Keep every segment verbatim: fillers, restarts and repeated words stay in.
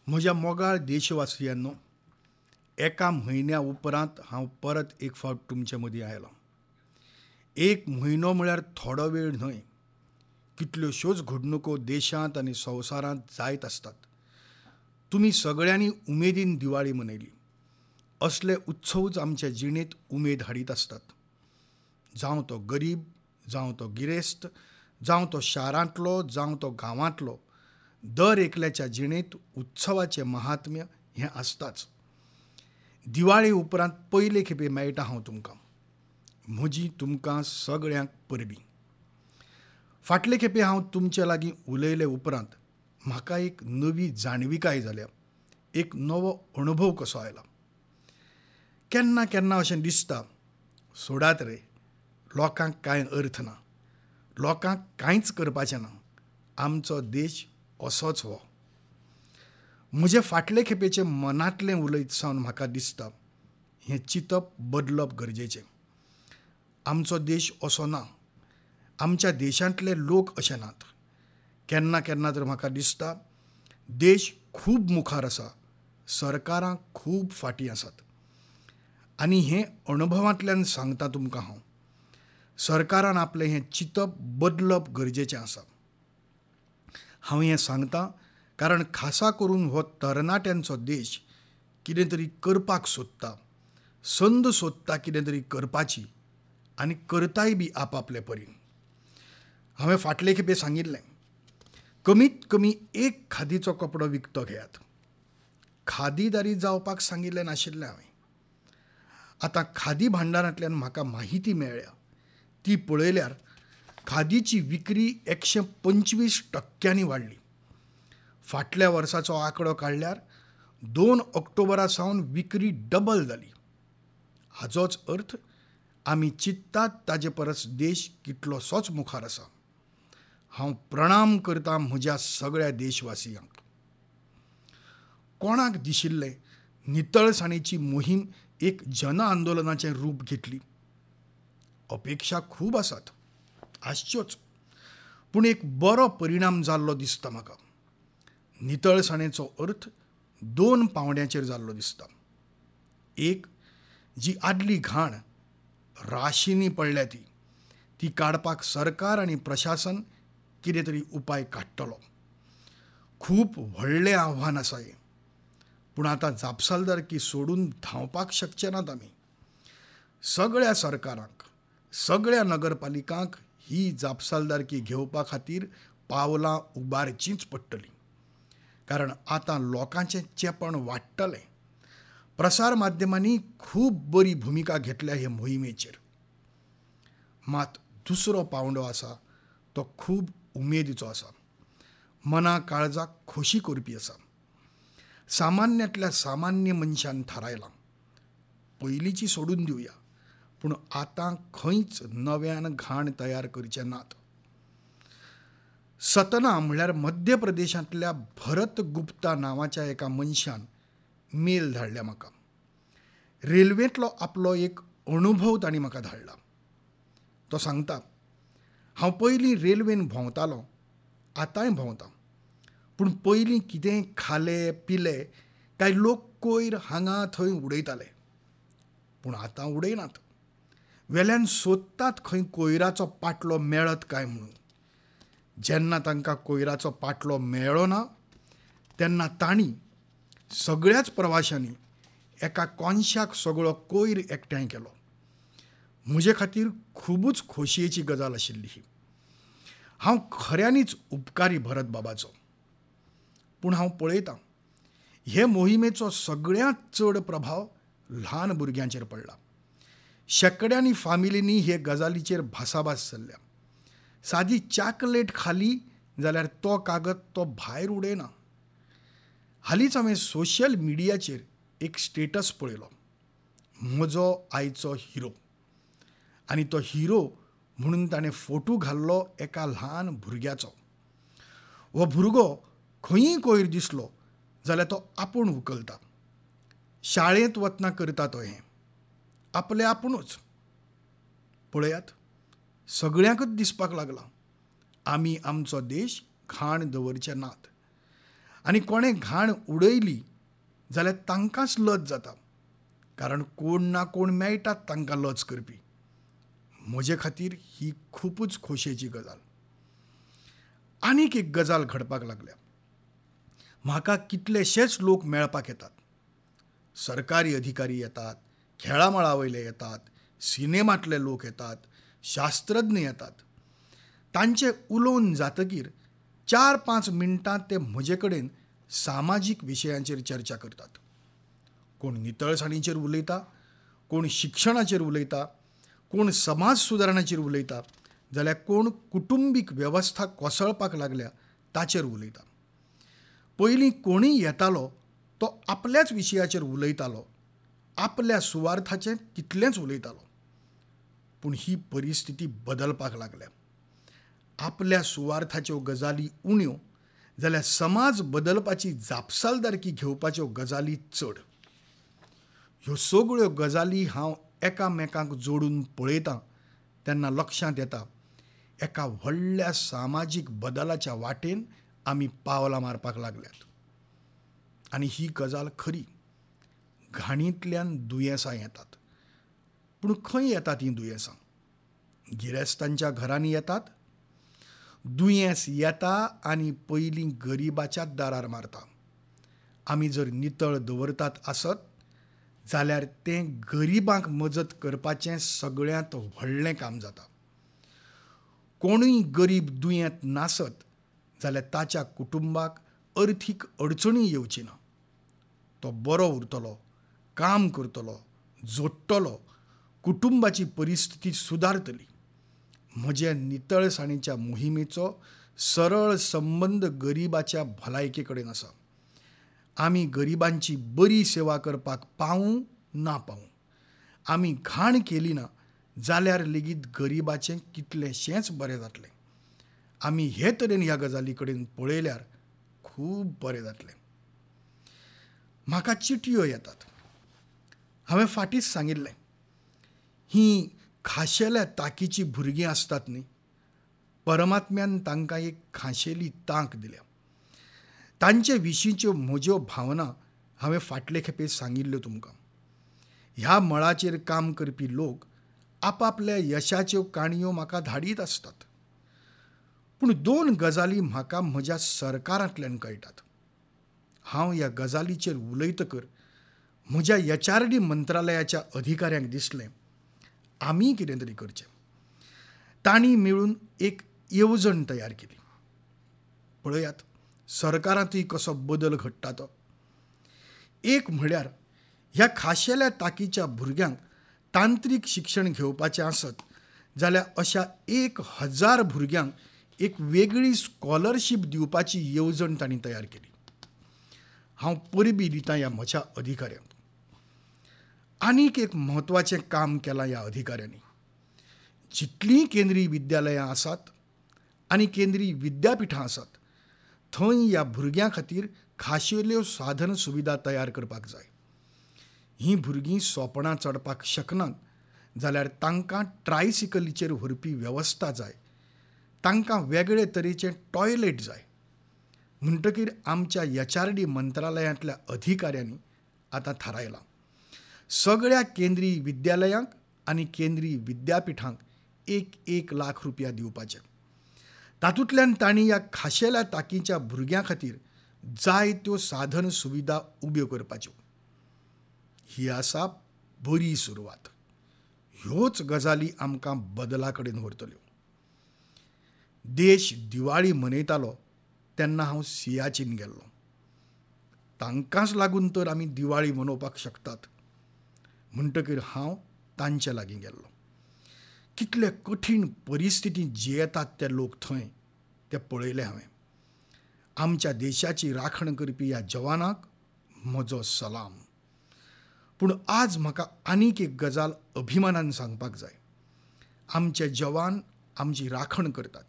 म्हज्या मोगाळ देशवासियांनो, एका म्हयन्या उपरांत हांव परत एक फावट तुमचे मदीं आयलो. एक म्हयनो म्हळ्यार थोडो वेळ न्हय. कितल्योश्योच घडणुको देशांत आनी संवसारांत जायत आसतात. तुमी सगळ्यांनी उमेदीन दिवाळी मनयली. असले उत्सवच आमच्या जिणेंत उमेद हाडीत आसतात. जावं तो गरीब, जावं तो गिरेस्त, जावं तो शारांतलो, जावं तो गांवांतलो, दर एकल्याच्या जिणेंत उत्सवाचें महात्म्य हें आसताच. दिवाळी उपरांत पयले खेपे मेळटा हांव तुमकां. म्हजी तुमकां सगळ्यांक परबीं. फाटले खेपे हांव तुमचे लागीं उलयले उपरांत म्हाका एक नवी जाणविकाय जाल्या, एक नवो अणभव कसो आयला. केन्ना केन्ना अशें दिसता, सोडात रे, लोकांक कांय अर्थ ना, लोकांक कांयच करपाचें ना, आमचो देश असोच हो. म्हजे फाटले खेपेचें मनांतलें उलयत सावन म्हाका दिसता हें चिंतप बदलप गरजेचें. आमचो देश असो ना, आमच्या देशांतले लोक अशे नात. केन्ना केन्ना तर म्हाका दिसता देश खूब मुखार आसा, सरकारां खूब फाटीं आसात. आनी हें अणभवांतल्यान सांगता तुमकां हांव, सरकारान आपलें हें चिंतप बदलप गरजेचें आसा. हांव हें सांगता कारण खासा करून हो तरणाट्यांचो देश कितें तरी करपाक सोदता, संद सोदता कितें तरी करपाची, आनी करताय बी आपापले परीन. हांवें फाटले खेपे सांगिल्लें, कमीत कमी एक खादीचो कपडो विकतो घेयात. खादीदारी जावपाक सांगिल्लें नाशिल्लें हांवें. आतां खादी भांडारांतल्यान म्हाका माहिती मेळ्ळ्या ती पळयल्यार खादीची विक्री एकशें पंचवीस टक्क्यांनी वाडली. फाटल्या वर्साचो आंकडो काडल्यार दोन ऑक्टोबरा सावन विक्री डबल जाली. हाजोच अर्थ आमी चिंततात ताजे परस देश कितलोसोच मुखार आसा. हांव प्रणाम करता म्हज्या सगळ्या देशवासियांक. कोणाक दिशिल्लें नितळसाणेची मोहीम एक जन आंदोलनाचें रूप घेतली? अपेक्षा खूब आसात, आसच्योच, पूण एक बरो परिणाम जाल्लो दिसता म्हाका. नितळसाणेचो अर्थ दोन पांवड्यांचेर जाल्लो दिसता. एक, जी आदली घाण राशींनी पडल्या ती ती काडपाक सरकार आनी प्रशासन कितें तरी उपाय काडटलो. खूब व्हडलें आव्हान आसा हें, पूण आतां जापसालदारकी सोडून धांवपाक शकचे नात आमी. सगळ्या सरकारांक, सगळ्या नगरपालिकांक ही जापसालदारकी घेवपा खातीर पावलां उबारचींच पडटलीं. कारण आतां लोकांचें चेपण वाडटलें. प्रसार माध्यमांनी खूब बरी भुमिका घेतल्या हे मोहिमेचेर. मात दुसरो पांवडो आसा तो खूब उमेदीचो आसा, मना काळजाक खोशी करपी आसा. सामान्यांतल्या सामान्य मनशान थारायलां, पयलींची सोडून दिवया, पूण आतां खंयच नव्यान घाण तयार करचे नात. सतना म्हळ्यार मध्य प्रदेशांतल्या भरत गुप्ता नांवाच्या एका मनशान मेल धाडल्या म्हाका. रेल्वेंतलो आपलो एक अणभव तांणी म्हाका धाडला. तो सांगता, हांव पयलीं रेल्वेन भोंवतालो, आतांय भोंवता, पूण पयलीं कितेंय खाले पिले काय लोक कोयर हांगा थंय उडयताले, पूण आतां उडयनात. वेल्यान सोदतात खंय कोयराचो पाटलो मेळत काय म्हणून. जेन्ना तांकां कोयराचो पाटलो मेळ्ळो ना तेन्ना तांणी सगळ्याच प्रवाशांनी एका कोनशाक सगळो कोयर एकठांय केलो. म्हजे खातीर खुबूच खोशयेची गजाल आशिल्ली ही. हांव खऱ्यांनीच उपकारी भरत बाबाचो. पूण हांव पळयतां हे मोहिमेचो सगळ्यांत चड प्रभाव ल्हान भुरग्यांचेर पडला. शेंकड्यांनी फामिलींनी हे गजालीचेर भासाभास चल्ल्या. सादी चाकलेट खाली जाल्यार तो कागद तो भायर उडयना. हालींच हांवें सोशल मिडियाचेर एक स्टेटस पळयलो, म्हजो आयचो हिरो. आनी तो हिरो म्हणून ताणें फोटो घाल्लो एका ल्हान भुरग्याचो. हो भुरगो खंयीय कोयर दिसलो जाल्यार तो आपूण उखलता. शाळेंत वतना करता तो हें आपले आपुणूच. पळयात, सगळ्यांकच दिसपाक लागलां आमी आमचो देश घाण दवरचे नात. आनी कोणें घाण उडयली जाल्यार तांकांच लज जाता, कारण कोण ना कोण मेळटात तांकां लज करपी. म्हजे खातीर ही खुबूच खोशयेची गजाल. आनीक एक गजाल घडपाक लागल्या. म्हाका कितलेशेच लोक मेळपाक येतात. सरकारी अधिकारी येतात, खेळामळा वयले येतात, सिनेमांतले लोक येतात, शास्त्रज्ञ येतात. तांचे उलोवन जातकीर चार पांच मिनटां ते म्हजे कडेन सामाजीक विशयांचेर चर्चा करतात. कोण नितळसाणीचेर उलयता, कोण शिक्षणाचेर उलयता, कोण समाज सुदारणाचेर उलयता, जाल्यार कोण कुटुंबीक वेवस्था कोसळपाक लागल्या ताचेर उलयता. पयलीं कोणूय येतालो तो आपल्याच विशयाचेर उलयतालो, आपल्या सुवार्थाचें तितलेंच उलयतालो. पूण ही परिस्थिती बदलपाक लागल्या. आपल्या सुवार्थाच्यो गजाली उण्यो जाल्यार समाज बदलपाची जापसालदारकी घेवपाच्यो गजाली चड. ह्यो सगळ्यो गजाली हांव एकामेकांक जोडून पळयतां तेन्ना लक्षांत येता एका व्हडल्या सामाजीक बदलाच्या वाटेन आमी पावलां मारपाक लागल्यात. आनी ही गजाल खरी. घाणींतल्यान दुयेंसां येतात. पूण खंय येतात हीं दुयेंसां? गिरेस्तांच्या घरांनी येतात. दुयेंस येता आनी पयलीं गरिबाच्याच दारार मारता. आमी जर नितळ दवरतात आसत जाल्यार तें गरिबांक मजत करपाचें सगळ्यांत व्हडलें काम जाता. कोणूय गरीब दुयेंत नासत जाल्यार ताच्या कुटुंबाक अर्थीक अडचणी येवची ना. तो बरो उरतलो, काम करतलो, जोडटलो, कुटुंबाची परिस्थिती सुदारतली. म्हजे नितळसाणीच्या मोहिमेचो सरळ संबंद गरिबाच्या भलायके कडेन आसा. आमी गरिबांची बरी सेवा करपाक पावूं ना पावूं, आमी घाण केली ना जाल्यार लेगीत गरिबाचें कितलेंशेंच बरें जातलें. आमी हे तरेन ह्या गजाली कडेन पळयल्यार खूब बरें जातलें. म्हाका चिटयो येतात. हांवें फाटींच सांगिल्लें, हीं खाशेल्या ताकीचीं भुरगीं आसतात न्ही, परमात्म्यान तांकां एक खाशेली तांक दिल्या. तांचे विशींच्यो म्हज्यो भावना हांवें फाटले खेपे सांगिल्ल्यो तुमकां. ह्या मळाचेर काम करपी लोक आपापल्या यशाच्यो काणयो म्हाका धाडीत आसतात. पूण दोन गजाली म्हाका म्हज्या सरकारांतल्यान कळटात. हांव ह्या गजालीचेर उलयतकर म्हज्या एच आर डी मंत्रालयाच्या अधिकाऱ्यांक दिसलें आमी कितें तरी करचें. तांणी मेळून एक येवजण तयार केली. पळयात सरकारांतूय कसो बदल घडटा तो. एक म्हळ्यार ह्या खाशेल्या ताकीच्या भुरग्यांक तांत्रीक शिक्षण घेवपाचें आसत जाल्यार अशा एक हजार भुरग्यांक एक वेगळी स्कॉलरशीप दिवपाची येवजण तांणी तयार केली. हांव परबीं दितां ह्या म्हज्या अधिकाऱ्यांक. आनीक एक म्हत्वाचें काम केलां ह्या अधिकाऱ्यांनी. जितलीं केंद्रीय विद्यालयां आसात आनी केंद्रीय विद्यापिठां आसात थंय ह्या भुरग्यां खातीर खाशेल्यो साधन सुविधा तयार करपाक जाय. हीं भुरगीं सोपणां चडपाक शकनात जाल्यार तांकां ट्रायसिकलीचेर व्हरपी वेवस्था जाय. तांकां वेगळे तरेचें टॉयलेट जाय. म्हणटकीर आमच्या एच आर डी मंत्रालयांतल्या अधिकाऱ्यांनी आतां थारायलां सगळ्या केंद्रीय विद्यालयांक आनी केंद्रीय विद्यापिठांक एक एक लाख रुपया दिवपाचे. तातूंतल्यान तांणी ह्या खाशेल्या ताकीच्या भुरग्यां खातीर जायत्यो साधन सुविधा उब्यो करपाच्यो. ही आसा बरी सुरवात. ह्योच गजाली आमकां बदला कडेन व्हरतल्यो. देश दिवाळी मनयतालो तेन्ना हांव सियाचीन गेल्लो. तांकांच लागून तर आमी दिवाळी मनोवपाक शकतात. म्हणटकीर हांव तांचे लागीं गेल्लो. कितले कठीण परिस्थितींत जियेतात ते लोक थंय ते पळयले हांवें. आमच्या देशाची राखण करपी ह्या जवानाक म्हजो सलाम. पूण आज म्हाका आनीक एक गजाल अभिमानान सांगपाक जाय. आमचे जवान आमची राखण करतात.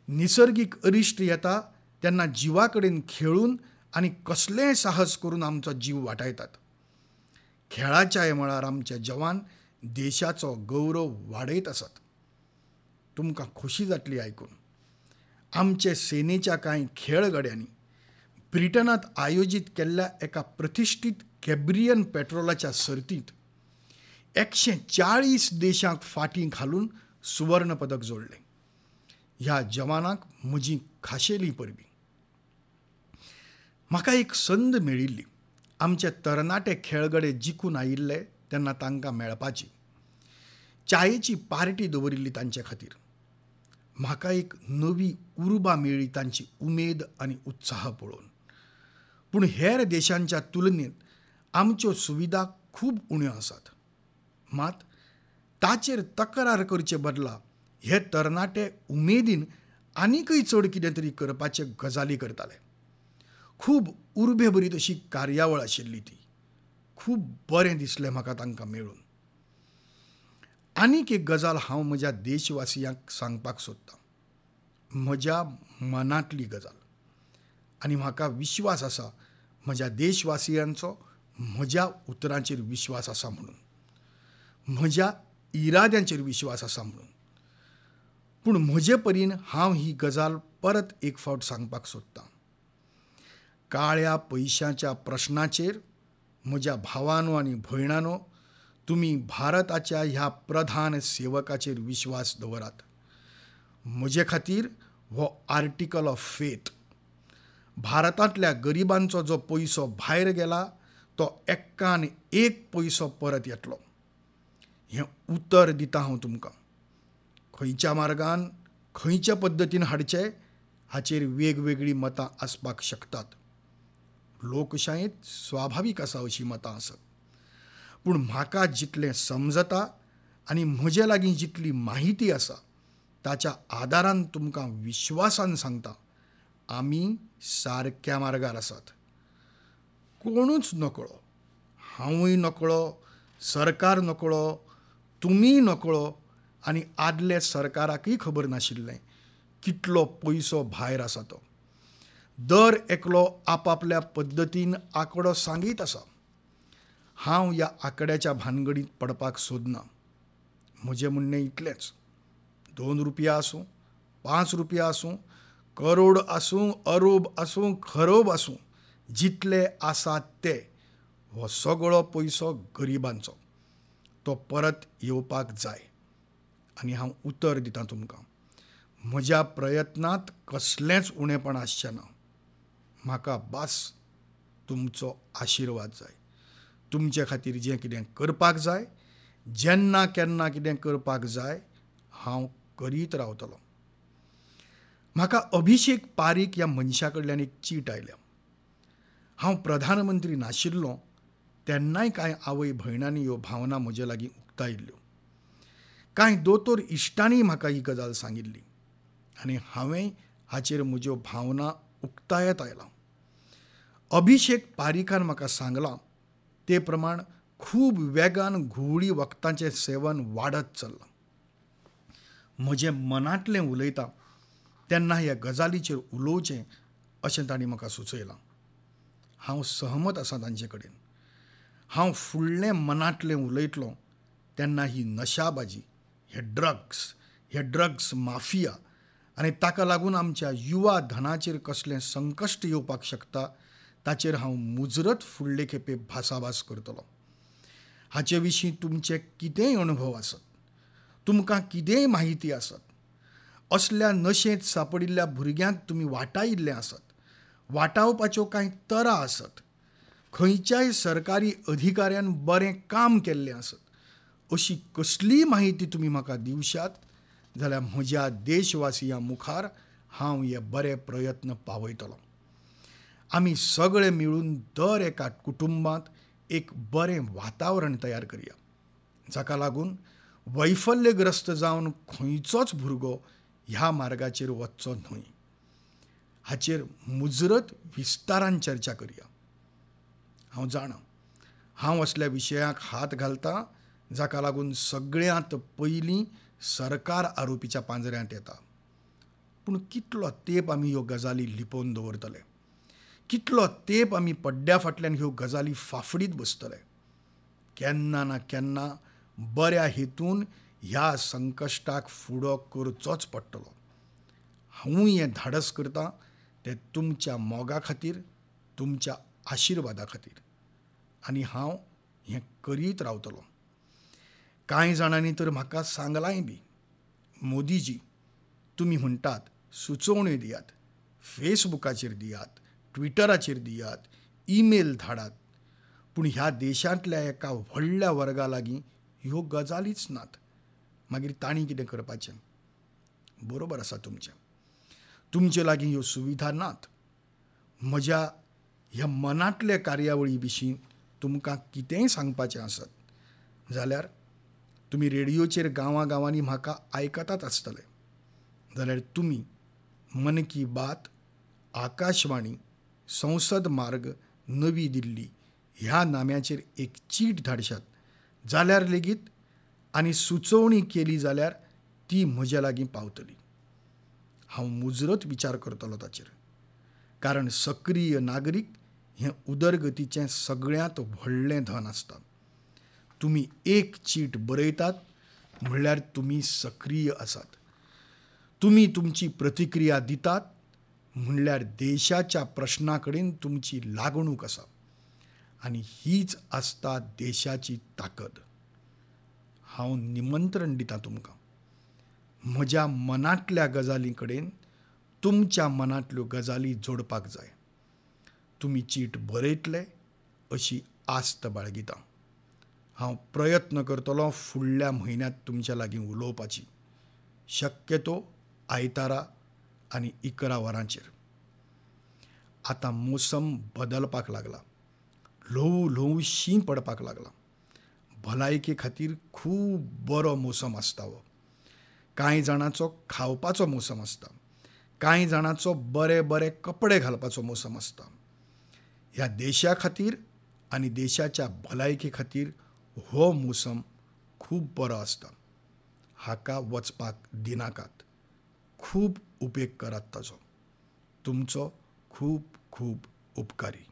निसर्गीक अरिश्ट येता तेन्ना जिवा कडेन खेळून आनी कसलेंय साहस करून आमचो जीव वाटायतात. खेळाच्याय मळार आमचे जवान देशाचो गौरव वाडयत आसात. तुमकां खोशी जातली आयकून. आमचे सेनेच्या कांय खेळगड्यांनी ब्रिटनांत आयोजीत केल्ल्या एका प्रतिश्ठीत कॅब्रियन पेट्रोलाच्या सर्तींत एकशे चाळीस देशांक फाटीं घालून सुवर्ण पदक जोडलें. ह्या जवानांक म्हजी खाशेली परबीं. म्हाका एक संद मेळिल्ली आमचे तरणाटे खेळगडे जिखून आयिल्ले तेन्ना तांकां मेळपाची. चायेची पार्टी दवरिल्ली तांचे खातीर. म्हाका एक नवी उर्बा मेळ्ळी तांची उमेद आनी उत्साह पळोवन. पूण हेर देशांच्या तुलनेत आमच्यो सुविधा खूब उण्यो आसात. मात ताचेर तक्रार करचे बदला हे तरणाटे उमेदीन आनीकय चड कितें तरी करपाचे गजाली करताले. खूब उर्बेभरीत अशी कार्यावळ आशिल्ली ती. खूब बरें दिसलें म्हाका तांकां मेळून. आनीक एक गजाल हांव म्हज्या देशवासियांक सांगपाक सोदतां, म्हज्या मनांतली गजाल, आनी म्हाका विश्वास आसा म्हज्या देशवासियांचो म्हज्या उतरांचेर विश्वास आसा म्हणून, म्हज्या इराद्यांचेर विश्वास आसा म्हणून. पूण म्हजे परीन हांव ही गजाल परत एक फावट सांगपाक सोदतां. काळ्या पयशांच्या प्रश्नाचेर म्हज्या भावानो आनी भयणानो, तुमी भारताच्या ह्या प्रधान सेवकाचेर विश्वास दवरात. म्हजे खातीर हो आर्टिकल ऑफ फेथ. भारतांतल्या गरिबांचो जो पयसो भायर गेला तो एक्कान एक पयसो परत येतलो हें उतर दिता हांव तुमकां. खंयच्या मार्गान खंयच्या पद्दतीन हाडचे हाचेर वेगवेगळीं मतां आसपाक शकतात. लोकशायेंत स्वाभावीक आसा अशीं मतां आसत. पूण म्हाका जितलें समजता आनी म्हजे लागीं जितली माहिती आसा ताच्या आदारान तुमकां विश्वासान सांगता, आमी सारक्या मार्गार आसात. कोणूच नकळो, हांवूय नकळो, सरकार नकळो, तुमीय नकळो आनी आदले सरकाराकय खबर नाशिल्लें कितलो पयसो भायर आसा तो. दर एकलो आपापल्या पद्दतीन आंकडो सांगीत आसा. हांव ह्या आंकड्याच्या भानगडींत पडपाक सोदना. म्हजें म्हणणें इतलेंच, दोन रुपया आसूं, पांच रुपया आसूं, करोड आसूं, अरोब आसूं, खरोब आसूं, जितले आसात ते, हो सगळो पयसो गरिबांचो, तो परत येवपाक जाय. आनी हांव उतर दितां तुमकां, म्हज्या प्रयत्नांत कसलेंच उणेपण आसचें ना. म्हाका बास तुमचो आशिर्वाद जाय. तुमचे खातीर जें कितें करपाक जाय, जेन्ना केन्ना कितें करपाक जाय, हांव करीत रावतलो. म्हाका अभिषेक पारीक ह्या मनशा कडल्यान एक चीट आयल्या. हांव प्रधानमंत्री नाशिल्लो तेन्नाय कांय आवय भयणांनी ह्यो भावना म्हजे लागीं उक्तायिल्ल्यो. कांय दोतोर इश्टांनी म्हाका ही गजाल सांगिल्ली आनी हांवें हाचेर म्हज्यो भावना उक्तायत आयलां. अभिषेक पारीकान म्हाका सांगलां ते प्रमाण खूब वेगान घुंवळी वखदांचें सेवन वाडत चल्लां. म्हजें मनांतलें उलयता तेन्ना ह्या गजालीचेर उलोवचें अशें तांणी म्हाका सुचयलां. हांव सहमत आसा तांचे कडेन. हांव फुडलें मनांतलें उलयतलो तेन्ना ही नशाबाजी, हे ड्रग्स, हे ड्रग्स माफिया आनी ताका लागून आमच्या युवा धनाचेर कसलें संकश्ट येवपाक शकता ताचेर हांव मुजरत फुडले खेपे भासाभास करतलो. हाचे विशीं तुमचे कितेंय अणभव आसत, तुमकां कितेंय माहिती आसत, असल्या नशेंत सापडिल्ल्या भुरग्यांक तुमी वाटायिल्लें आसत, वाटावपाच्यो कांय तरा आसत, खंयच्याय सरकारी अधिकाऱ्यान बरें काम केल्लें आसत, अशी कसलीय माहिती तुमी म्हाका दिवशात जाल्यार म्हज्या देशवासियां मुखार हांव हे बरे प्रयत्न पावयतलो. आमी सगळे मेळून दर एका कुटुंबांत एक बरें वातावरण तयार करया, जाका लागून वैफल्यग्रस्त जावन खंयचोच भुरगो ह्या मार्गाचेर वचचो न्हय. हाचेर मुजरत विस्तारान चर्चा करया. हांव जाणा हांव असल्या विशयाक हात घालता जाका लागून सगळ्यांत पयलीं सरकार आरोपीच्या पांजऱ्यांत येता. पूण कितलो तेंप आमी ह्यो गजाली लिपोवन दवरतले? कितलो तेंप आमी पड्ड्या फाटल्यान ह्यो गजाली फाफडीत बसतले? केन्ना ना केन्ना बऱ्या हेतून ह्या संकश्टाक फुडो करचोच पडटलो. हांवूय हें धाडस करतां तें तुमच्या मोगा खातीर, तुमच्या आशिर्वादा खातीर. आनी हांव हें करीत रावतलो. कांय जाणांनी तर म्हाका सांगलांय बी, मोदीजी तुमी म्हणटात सुचोवण्यो दियात, फेसबुकाचेर दियात, ट्विटराचेर दियात, ईमेल धाडात, पूण ह्या देशांतल्या एका व्हडल्या वर्गा लागीं ह्यो गजालीच नात. मागीर तांणी कितें करपाचें? बरोबर आसा तुमचें, तुमचे लागीं ह्यो सुविधा नात. म्हज्या ह्या मनांतल्या कार्यावळी विशीं तुमकां कितेंय सांगपाचें आसत जाल्यार तुमी रेडियोचेर गांवां गांवांनी म्हाका आयकतात आसतले, जाल्यार तुमी मन की बात, आकाशवाणी, संसद मार्ग, नवी दिल्ली ह्या नाम्याचेर एक चीट धाडशात जाल्यार लेगीत आनी सुचोवणी केली जाल्यार ती म्हज्या लागीं पावतली. हांव मुजरत विचार करतलो ताचेर, कारण सक्रीय नागरीक हें उदरगतीचें सगळ्यांत व्हडलें धन आसता. तुमी एक चीट बरयतात म्हणल्यार तुमी सक्रीय आसात. तुमी तुमची प्रतिक्रिया दितात म्हणल्यार देशाच्या प्रश्ना कडेन तुमची लागणूक आसा, आनी हीच आसता देशाची ताकद. हांव निमंत्रण दितां तुमकां, म्हज्या मनांतल्या गजालीं कडेन तुमच्या मनांतल्यो गजाली जोडपाक जाय. तुमी चीट बरयतले अशी आस्त बाळगितां. हांव प्रयत्न करतलो फुडल्या म्हयन्यांत तुमच्या लागीं उलोवपाची, शक्यतो आयतारा आनी इकरा वरांचेर. आतां मोसम बदलपाक लागला, ल्हवू ल्हवू शीं पडपाक लागला. भलायके खातीर खूब बरो मोसम आसता हो. कांय जाणांचो खावपाचो मोसम आसता, कांय जाणांचो बरे बरे कपडे घालपाचो मोसम आसता. ह्या देशा खातीर आनी देशाच्या भलायके खातीर हो मोसम खूब बरो आसता. हाका वचपाक दिनाकात, खूब उपेग करात ताचो. तुमचो खूब खूब उपकारी.